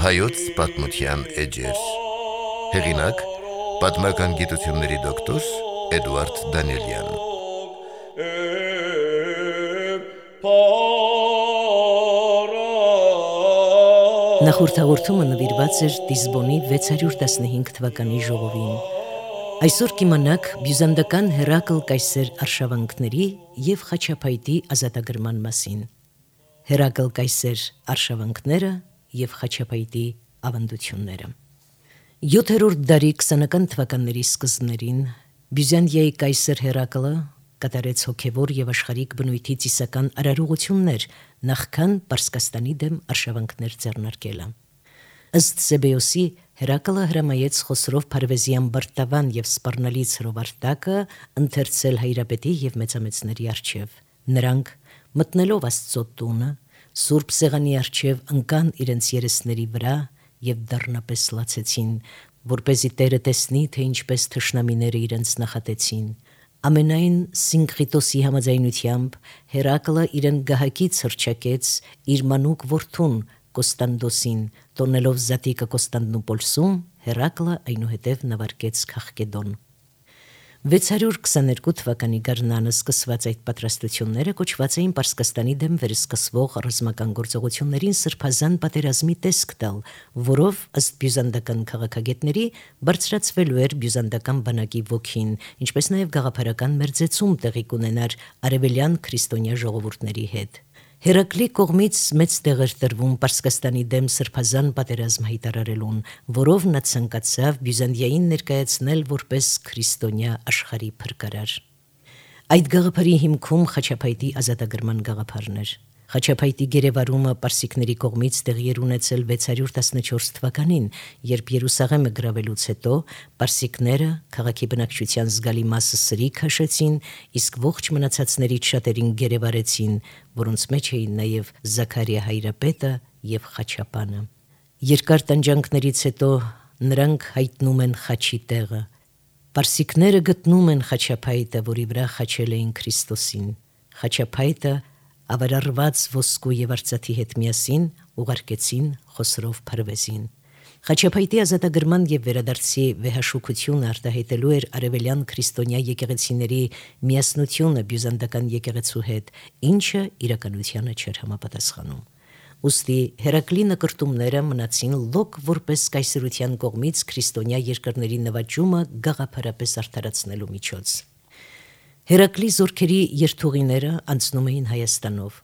Հայոց պատմության էջեր։ Հեղինակ՝ պատմական գիտությունների դոկտոր Էդուարդ Դանիելյան։ Նախորդ հաղորդումը նվիրված էր Տիզբոնի 615 թվականի ժողովին։ Այսօր կիմանաք բյուզանդական Հերակլ կայսեր արշավանքների և Խաչապայտի ազատագրման մասին։ Հերակլ կայսեր արշավանքները և Խաչապայտի ավանդությունները։ 7-րդ դարի 20-ական թվականների սկզբներին Բյուզանդիայի կայսեր Հերակլը կատարեց հոգևոր և աշխարհիկ բնույթի ծիսական արարողություններ, նախքան Պարսկաստանի դեմ արշավանքներ ձեռնարկելը։ Ըստ Սեբեոսի, Հերակլը հրամայեց Խոսրով Փարվեզյան բրտավան և սպառնալից հրովարտակը ընթերցել հայրապետի և մեծամեծների առջև։ Նրանք, մտնելով Աստծո տունը, Սուրբ Սեղանի առջև ընկան իրենց երեսների վրա և դառնապես լացեցին, որպեսզի Տերը տեսնի, թե ինչպես թշնամիները իրենց նախատեցին։ Ամենայն Սինկրիտոսի համաձայնությամբ Հերակլը իրեն գահակից հռչակեց իր մանուկ որդուն Կոստանդոսին, տոնելով զատիկը Կոստանդնուպոլսում, Հերակլը այնուհետև նավարկեց Քաղկեդոն։ 622 թվականի գարնանը սկսված այդ պատրաստությունները կոչված էին Պարսկաստանի դեմ վերսկսվող ռազմական գործողություններին սրբազան պատերազմի տեսք տալ, որով ըստ բյուզանդական քաղաքագետների բարձրացվելու էր բյուզանդական բանակի ոգին, ինչպես նաև գաղափարական մերձեցում տեղի կունենար արևելյան քրիստոնյա ժողովուրդների հետ։ Հերակլի կողմից մեծ տեղ էր տրվում Պարսկաստանի դեմ սրբազան պատերազմ հայտարարելուն, որով նա ցանկացավ Բյուզանդիային ներկայացնել որպես քրիստոնյա աշխարհի փրկարար։ Այդ գաղափարի հիմքում Խաչապայտի ազատագրման գաղափարն էր։ Խաչապայտի գերեվարումը պարսիկների կողմից տեղի էր ունեցել 614 թվականին, երբ Երուսաղեմը գրավելուց հետո պարսիկները քաղաքի բնակչության զգալի մասը սրի քաշեցին, իսկ ողջ մնացածներից շատերին գերեվարեցին, որոնց մեջ էին նաև Զաքարիա հայրապետը և Խաչապանը։ Երկար տանջանքներից հետո նրանք հայտնում են խաչի տեղը։ Պարսիկները գտնում են Խաչապայտը, որի վրա խաչել էին Քրիստոսին։ Խաչապայտը ավարարված ոսկու և արծաթի հետ միասին ուղարկեցին Խոսրով Փարվեզին։ Խաչապայտի ազատագրման և վերադարձի վեհաշուքությունը արտահայտելու էր արևելյան քրիստոնյա եկեղեցիների միասնությունը բյուզանդական եկեղեցու հետ, ինչը իրականությանը չէր համապատասխանում։ Ուստի Հերակլի նկրտումները մնացին լոկ որպես կայսրության կողմից քրիստոնյա երկրների նվաճումը գաղափարապես արդարացնելու միջոց։ Հերակլի զորքերի երթուղիները անցնում էին Հայաստանով։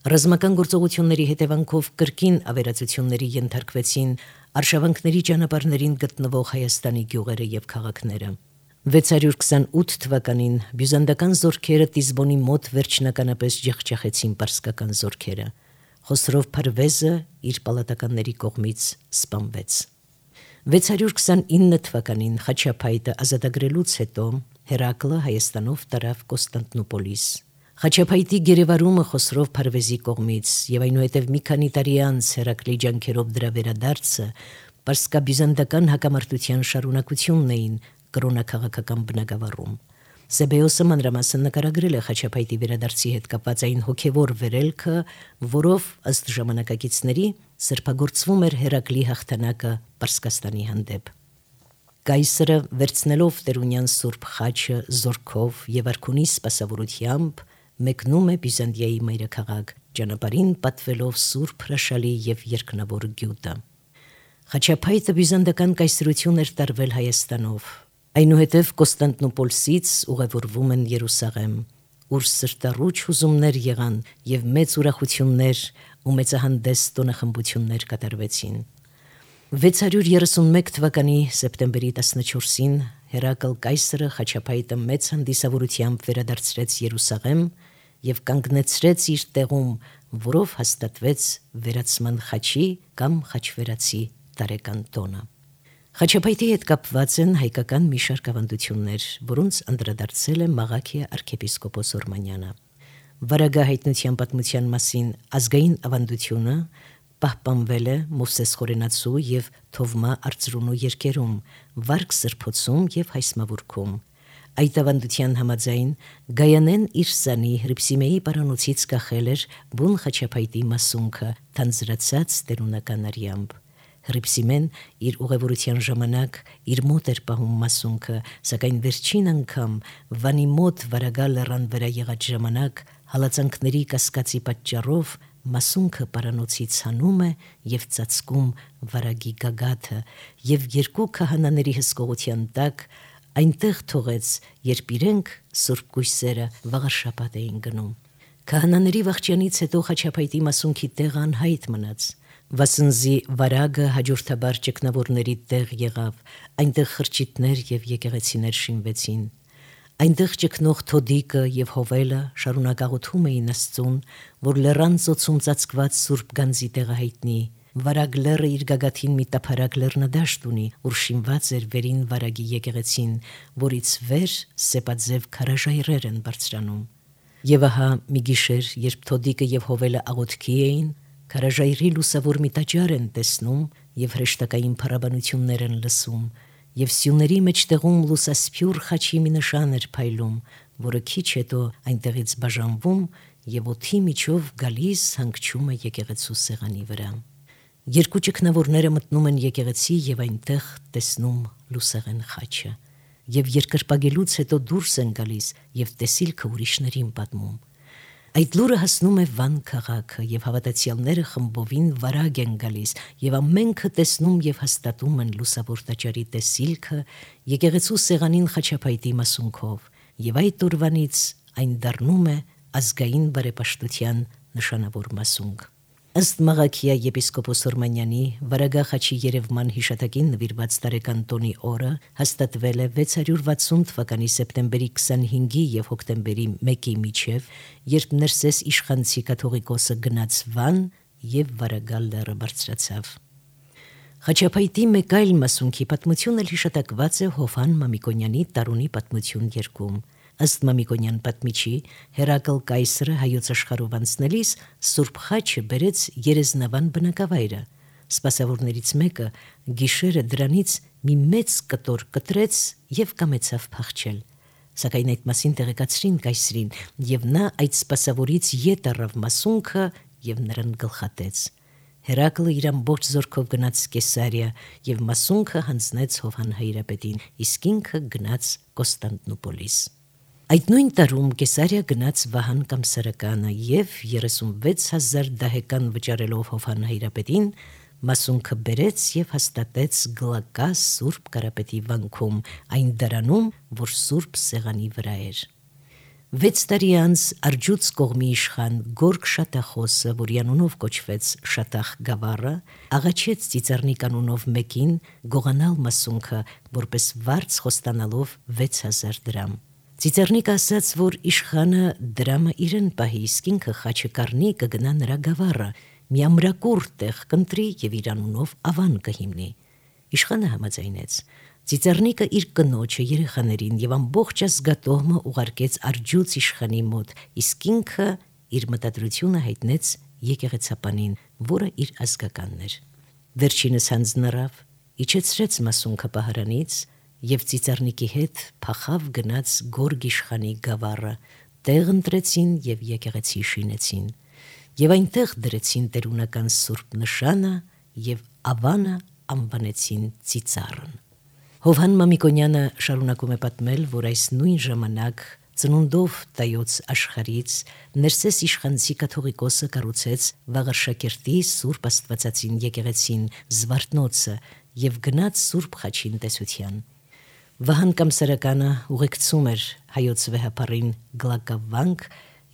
Ռազմական գործողությունների հետևանքով կրկին ավերածությունների ենթարկվեցին արշավանքների ճանապարհներին գտնվող Հայաստանի գյուղերը և քաղաքները։ 628 թվականին բյուզանդական զորքերը Տիզբոնի մոտ վերջնականապես ջախջախեցին պարսկական զորքերը։ Խոսրով Փարվեզը իր պալատականների կողմից սպանվեց։ 629 թվականին Խաչապայտը ազատագրելուց հետո Հերակլը Հայաստանով տարավ Կոստանդնուպոլիս։ Խաչապայտի գերեվարումը Խոսրով Փարվեզի կողմից և այնուհետև մի քանի տարի անց Հերակլի ջանքերով դրա վերադարձը պարսկաբյուզանդական հակամարտության շարունակությունն էին կրոնաքաղաքական բնագավառում։ Սեբեոսը մանրամասն նկարագրել է Խաչապայտի վերադարձի հետ կապված այն հոգևոր վերելքը, որով ըստ ժամանակակիցների սրբագործվում էր Հերակլի հաղթանակը Պարսկաստանի հանդեպ։ Կայսրը վերցնելով տերունյան սուրբ խաչը զորքով և արքունի սպասավորությամբ մեկնում է Բյուզանդիայի մայրաքաղաք, ճանապարհին պատվելով սուրբ հրաշալի և երկնավոր գյուտը։ Խաչապայտը բյուզանդական կայսրություն էր տարվել Հայաստանով։ Այնուհետև Կոստանդնուպոլսից ուղևորվում են Երուսաղեմ, ուր սրտառուչ հուզումներ եղան և մեծ ուրախություններ ու մեծահանդես տոնախմբություններ կատարվեցին։ 631 թվականի սեպտեմբերի 14-ին Հերակլ կայսրը Խաչապայտը մեծ հանդիսավորությամբ վերադարձրեց Երուսաղեմ և կանգնեցրեց իր տեղում, որով հաստատվեց վերացման խաչի կամ խաչվերացի տարեկան տոնը։ Խաչապայտի հետ կապված են հայկական մի շարք ավանդություններ, որոնց անդրադարձել է Մաղաքիա arczepiskopos Օրմանյանը։ Վարագահայտնության պատմության մասին ազգային ավանդությունը պահպանվել է Մովսես Խորենացու եւ Թովմա Արծրունու երգերում, Վարք Սրբոցում եւ Հայսմավուրքում։ Այդ ավանդության համաձայն Գայանեն իր սանի Հրիփսիմեի պարանոցից կախել էր բուն խաչապայտի մասունքը, թանձրացած տերունական արյամբ։ Հրիփսիմեն իր ուղևորության ժամանակ իր մոտ էր պահում մասունքը, սակայն վերջին անգամ Վանի մոտ Վարագա լեռան վրա եղած ժամանակ հալածանքների կասկածի պատճառով մասունքը պարանոցից հանում է եւ ծածկում Վարագի գագաթը եւ երկու քահանաների հսկողության տակ այնտեղ թողեց, երբ իրենք սուրբ գույսերը վաղարշաբաթ էին գնում։ Քահանաների վախճանից հետո խաչապայտի մասունքի տեղը անհայտ մնաց։ Վասնզի Վարագը հաջորդաբար ճգնավորների տեղ եղավ, այնտեղ խրճիթներ եւ եկեղեցիներ շինվեցին։ Այնտեղ ճգնող Թոդիկը եւ Հովելը շարունակ աղոթում էին Աստծուն, որ լեռան ծոցում ծածկված սուրբ գանձի տեղը հայտնի։ Վարագ լեռը իր գագաթին մի տափարակ լեռնադաշտ ունի, ուր շինված էր վերին Վարագի եկեղեցին, որից վեր սեպաձև քարաժայռեր են բարձրանում։ Եվ ահա մի գիշեր, երբ Թոդիկը եւ Հովելը աղոթքի էին, քարաժայռի լուսավոր մի տաճար են տեսնում եւ հրեշտակային փառաբանություններ են լսում, եւ սյուների մեջտեղում լուսասփյուր խաչի մի նշան էր փայլում, որը քիչ հետո այնտեղից բաժանվում եւ օդի միջով գալիս հանգչում է եկեղեցու սեղանի վրա։ Երկու ճգնավորները մտնում են եկեղեցի եւ այնտեղ տեսնում լուսեղեն խաչը, եւ երկրպագելուց հետո դուրս են գալիս եւ տեսիլքը ուրիշներին պատմում։ Այդ լուրը հասնում է Վան քաղաքը եւ հավատացյալները խմբովին Վարագ են գալիս եւ ամենքը տեսնում եւ հաստատում են լուսավոր տաճարի տեսիլքը եկեղեցու սեղանին խաչապայտի մասունքով եւ այդ օրվանից այն դառնում է ազգային բարեպաշտության նշանավոր մասունք։ Ըստ Մաղաքիա եպիսկոպոս Օրմանյանի Վարագա խաչի երևման հիշատակին նվիրված տարեկան տոնի օրը հաստատվել է 660 թվականի սեպտեմբերի 25-ի եւ հոկտեմբերի 1-ի միջև, երբ Ներսես իշխանցի կաթողիկոսը գնաց Վան եւ Վարագա լեռը բարձրացավ։ Խաչապայտի մեկ այլ մասունքի պատմությունը հիշատակված է Հովհան Մամիկոնյանի Տարունի պատմություն երգում։ Ըստ Մամիկոնյան պատմիչի, Հերակլ կայսրը հայոց աշխարհով անցնելիս Սուրբ խաչը բերեց Երեզնավան բնակավայրը։ Սպասավորներից մեկը գիշերը դրանից մի մեծ կտոր կտրեց եւ կամեցավ փախչել։ Սակայն այդ մասին տեղեկացրին կայսրին, եւ նա այդ սպասավորից ետ առավ մասունքը եւ նրան գլխատեց։ Հերակլը իր ամբողջ զորքով գնաց Կեսարիա եւ մասունքը հանձնեց Հովհան հայրապետին, իսկ ինքը գնաց Կոստանդնուպոլիս։ Այդ նույն տարում Կեսարիա գնաց Վահան Կամսարականը եւ 36,000 դահեկան վճարելով Հովհան հայրապետին մասունքը բերեց եւ հաստատեց Գլակա Սուրբ Կարապետի վանքում, այն դարանում, որ Սուրբ Սեղանի վրա էր։ 6 տարի անց Արջուց կողմի իշխան Գորգ Շատախոսը, որի անունով կոչվեց Շատախ Գավառը, աղաչեց Ծիծեռնիկ անունով մեկին գողանալ մասունքը, որպես վարձ խոստանալով 6000 դրամ։ Ծիծեռնիկը ասաց, որ իշխանը դրամը իրեն պահի, իսկ ինքը խաչը կառնի կգնա նրա գավառը, մի ամրակուր տեղ կընտրի եւ իր անունով ավան կհիմնի։ Իշխանը համաձայնեց։ Ծիծեռնիկը իր կնոջը, երեխաներին եւ ամբողջ ազգատոհմը ուղարկեց Արջուց իշխանի մոտ, իսկ ինքը իր մտադրությունը հայտնեց եկեղեցապանին, որը իր ազգականն էր։ Վերջինս հանձնարավ, իջեցրեց մասունքը պահարանից եւ Ծիծեռնիկի հետ փախավ գնաց Գորգ իշխանի գավառը, տեղ ընտրեցին եւ եկեղեցի շինեցին, եւ այնտեղ դրեցին տերունական սուրբ նշանը եւ ավանը անվանեցին Ծիծառն։ Հովհան Մամիկոնյանը շարունակում է պատմել, որ այս նույն ժամանակ ծնունդով տայոց աշխարից Ներսես իշխանցի կաթողիկոսը կառուցեց Վաղարշակերտի Սուրբ Աստվածածին եկեղեցին Զվարթնոցը եւ գնաց Սուրբ խաչին տեսության։ Վահան Կամսարականը ուղեկցում էր հայոց վեհապարին Գլակավանք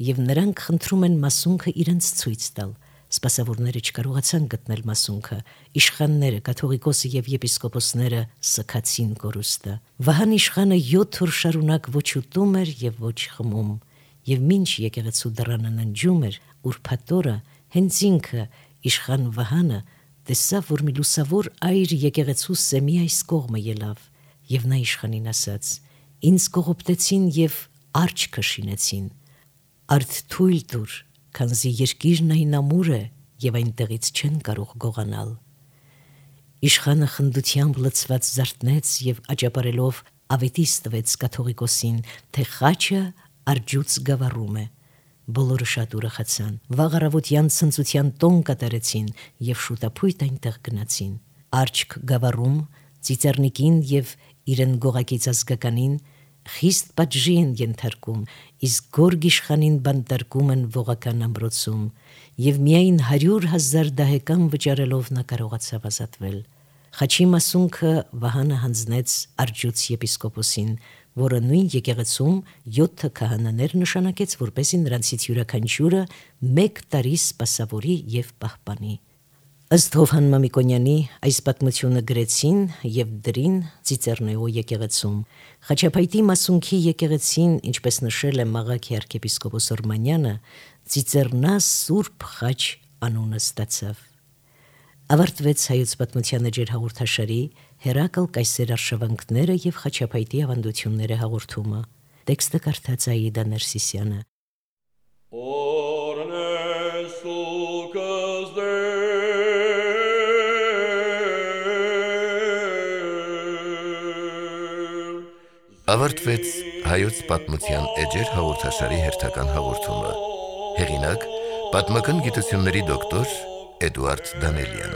եւ նրանք խնդրում են մասունքը իրենց ցույց տալ։ Սպասավորները չկարողացան գտնել մասունքը։ Իշխանները, կաթողիկոսը եւ եպիսկոպոսները սքացին կորուստը։ Վահան իշխանը 7 օր շարունակ ոչ ուտում էր եւ ոչ խմում, եւ մինչ եկեղեցու դռանը ննջում էր, ուրփաթորը հենց ինքը իշխան Վահանը տեսավ, որ մի լուսավոր այր եկեղեցու սեմի այս կողմը ելավ, եւ նա իշխանին ասաց. «Ինձ կողոպտեցին եւ արջքը շինեցին, արդ թույլ տուր, քանզի երկիրն այն ամուր է եւ այնտեղից չեն կարող գողանալ։ Իշխանը խնդությամբ լցված զարթնեց եւ աճապարելով ավետիս տվեց կաթողիկոսին, թե խաչը արջուց գավառում է։ Բոլորը շատ ուրախացան, վաղ առավոտյան ցնծության տոն կատարեցին եւ շուտապույտ այնտեղ գնացին։ Արջք գավառում ծիծեռնիկին եւ իրեն գողակից ազգականին խիստ պատժի են ենթարկում, իսկ գորգ իշխանին բանտարկում են ողական ամրոցում եւ միայն 100,000 դահեկան վճարելով նա կարողացավ ազատվել։ Խաչի մասունքը Վահանը հանձնեց Արջուց եպիսկոպոսին, որը նույն եկեղեցում 7 քահանաներ նշանակեց, որպեսզի նրանցից յուրաքանչյուրը 1 տարի սպասավորի եւ պահպանի։ Ըստ Հովհան Մամիկոնյանի այս պատմությունը գրեցին եւ դրին Ծիծեռնեո եկեղեցում։ Խաչապայտի մասունքի եկեղեցին, ինչպես նշել է Մաղաքի arczepiskopos Օրմանյանը, Ծիծեռնա Սուրբ Խաչ անունը ստացավ։ Ավարտվեց հայոց պատմության էջեր հաղորդաշարի Հերակլ Կայսեր արշավանքները եւ Խաչապայտի ավանդությունները հաղորդումը։ Տեքստը կարդաց Աիդա Ներսիսյանը։ Ավարտվեց հայոց պատմության էջեր հաղորդաշարի հերթական հաղորդումը։ Հեղինակ՝ պատմական գիտությունների դոկտոր Էդուարդ Դանելյան։